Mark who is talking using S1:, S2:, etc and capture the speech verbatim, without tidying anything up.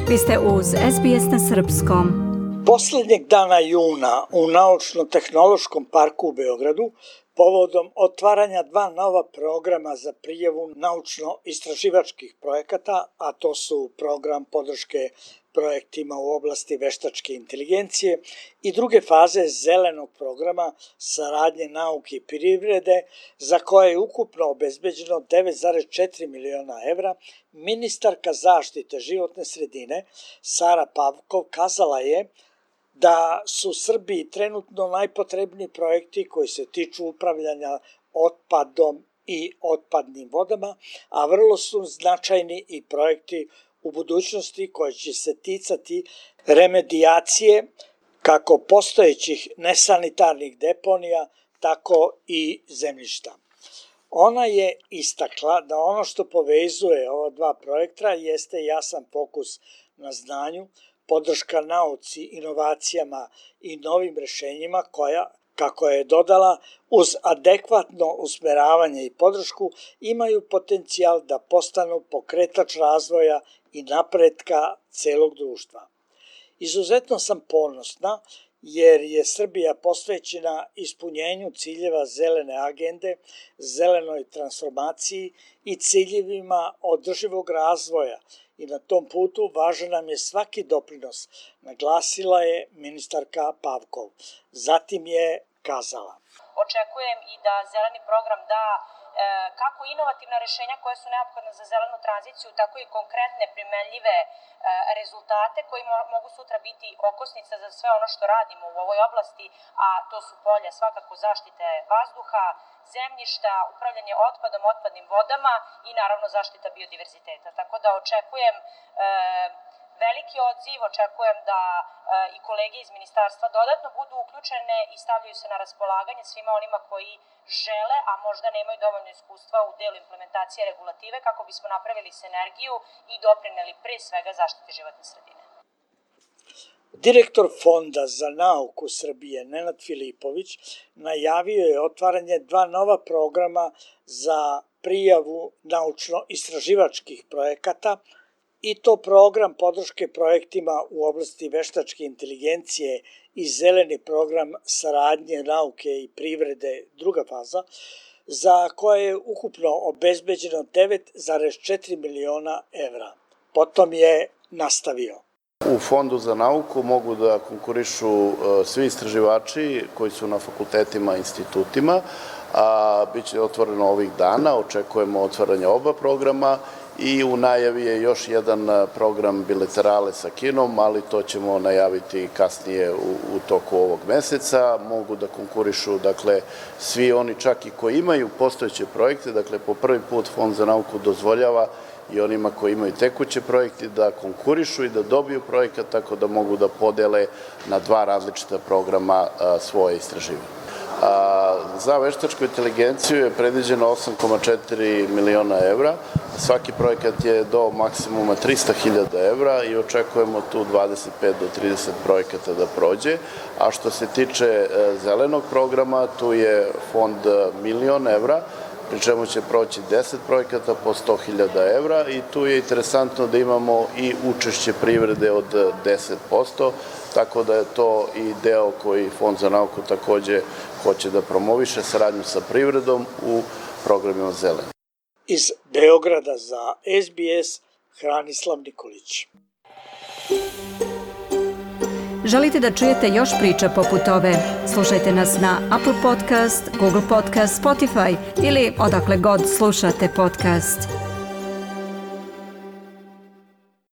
S1: Vi ste uz S B S na srpskom.
S2: Poslednjeg dana juna u Naučno-tehnološkom parku u Beogradu povodom otvaranja dva nova programa za prijavu naučno-istraživačkih projekata, a to su program podrške projektima u oblasti veštačke inteligencije i druge faze zelenog programa saradnje nauke i privrede, za koje je ukupno obezbeđeno devet zarez četiri miliona evra, ministarka zaštite životne sredine Sara Pavkov kazala je da su Srbiji trenutno najpotrebniji projekti koji se tiču upravljanja otpadom i otpadnim vodama, a vrlo su značajni i projekti u budućnosti koji će se ticati remedijacije kako postojećih nesanitarnih deponija, tako i zemljišta. Ona je istakla da ono što povezuje ova dva projekta jeste jasan fokus na znanju, podrška nauci, inovacijama i novim rešenjima koja, kako je dodala, uz adekvatno usmeravanje i podršku imaju potencijal da postanu pokretač razvoja i napretka celog društva. Izuzetno sam ponosna jer je Srbija posvećena ispunjenju ciljeva zelene agende, zelenoj transformaciji i ciljevima održivog razvoja i na tom putu važan nam je svaki doprinos, naglasila je ministarka Pavkov. Zatim je kazala:
S3: Očekujem i da zeleni program da kako inovativna rešenja koja su neophodna za zelenu tranziciju, tako i konkretne, primenljive rezultate koji mogu sutra biti okosnica za sve ono što radimo u ovoj oblasti, a to su polja svakako zaštite vazduha, zemljišta, upravljanje otpadom, otpadnim vodama i naravno zaštita biodiverziteta. Tako da očekujem veliki odziv, očekujem da e, i kolege iz ministarstva dodatno budu uključene i stavljaju se na raspolaganje svima onima koji žele, a možda nemaju dovoljno iskustva u delu implementacije regulative, kako bismo napravili sinergiju i doprineli pre svega zaštiti životne sredine.
S2: Direktor Fonda za nauku Srbije Nenad Filipović najavio je otvaranje dva nova programa za prijavu naučno-istraživačkih projekata, i to program podrške projektima u oblasti veštačke inteligencije i zeleni program saradnje nauke i privrede druga faza, za koje je ukupno obezbeđeno devet zarez četiri miliona evra. Potom je nastavio:
S4: U Fondu za nauku mogu da konkurišu svi istraživači koji su na fakultetima i institutima, a bit će otvoreno ovih dana, očekujemo otvaranje oba programa i u najavi je još jedan program bilaterale sa Kinom, ali to ćemo najaviti kasnije u, u toku ovog meseca. Mogu da konkurišu, dakle, svi oni čak i koji imaju postojeće projekte, dakle, po prvi put Fond za nauku dozvoljava i onima koji imaju tekuće projekte da konkurišu i da dobiju projekat, tako da mogu da podele na dva različita programa a, svoje istraživanje. A, za veštačku inteligenciju je predviđeno osam zarez četiri miliona evra. Svaki projekat je do maksimuma trista hiljada evra i očekujemo tu dvadeset pet do trideset projekata da prođe. A što se tiče zelenog programa, tu je fond milion evra, pri čemu će proći deset projekata po sto hiljada evra i tu je interesantno da imamo i učešće privrede od deset posto, tako da je to i deo koji Fond za nauku takođe hoće da promoviše saradnju sa privredom u programima zelene.
S2: Iz Beograda za S B S, Hranislav Nikolić.
S1: Želite da čujete još priča poput ove? Slušajte nas na Apple Podcast, Google Podcast, Spotify ili odakle god slušate podcast.